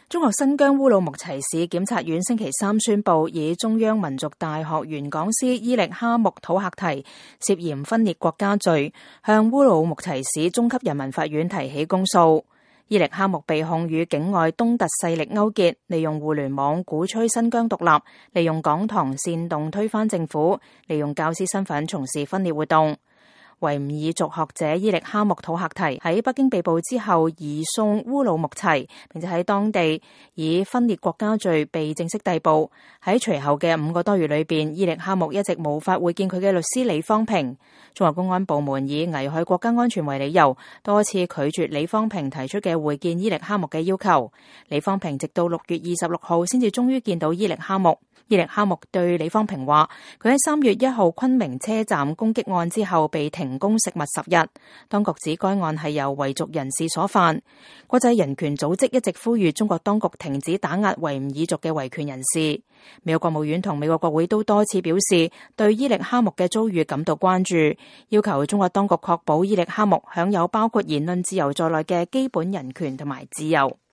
中國新疆烏魯木齊市檢察院星期三宣布，以中央民族大學原講師伊力哈木土赫提涉嫌分裂國家罪，向烏魯木齊市中級人民法院提起公訴。伊力哈木被控與境外東突勢力勾結，利用互聯網鼓吹新疆獨立，利用講堂煽動推翻政府，利用教師身份從事分裂活動。維吾爾族學者伊力哈木土赫提喺北京被捕之後移送烏魯木齊，並且喺當地以分裂國家罪被正式逮捕。喺隨後嘅5個多月裏邊，伊力哈木一直無法會見佢嘅律師李方平。中國公安部門以危害國家安全為理由，多次拒絕李方平提出嘅會見伊力哈木嘅要求。李方平直到6月26號先至終於見到伊力哈木。伊力哈木對李方平話，佢喺3月1號昆明車站攻擊案之後被停工食物10日，當局指該案係由維族人士所犯。國際人權組織一直呼籲中國當局停止打壓維吾爾族嘅維權人士。美國國務院同美國國會都多次表示對伊力哈木嘅遭遇感到關注，要求中國當局確保伊力哈木享有包括言論自由在內嘅基本人權同埋自由。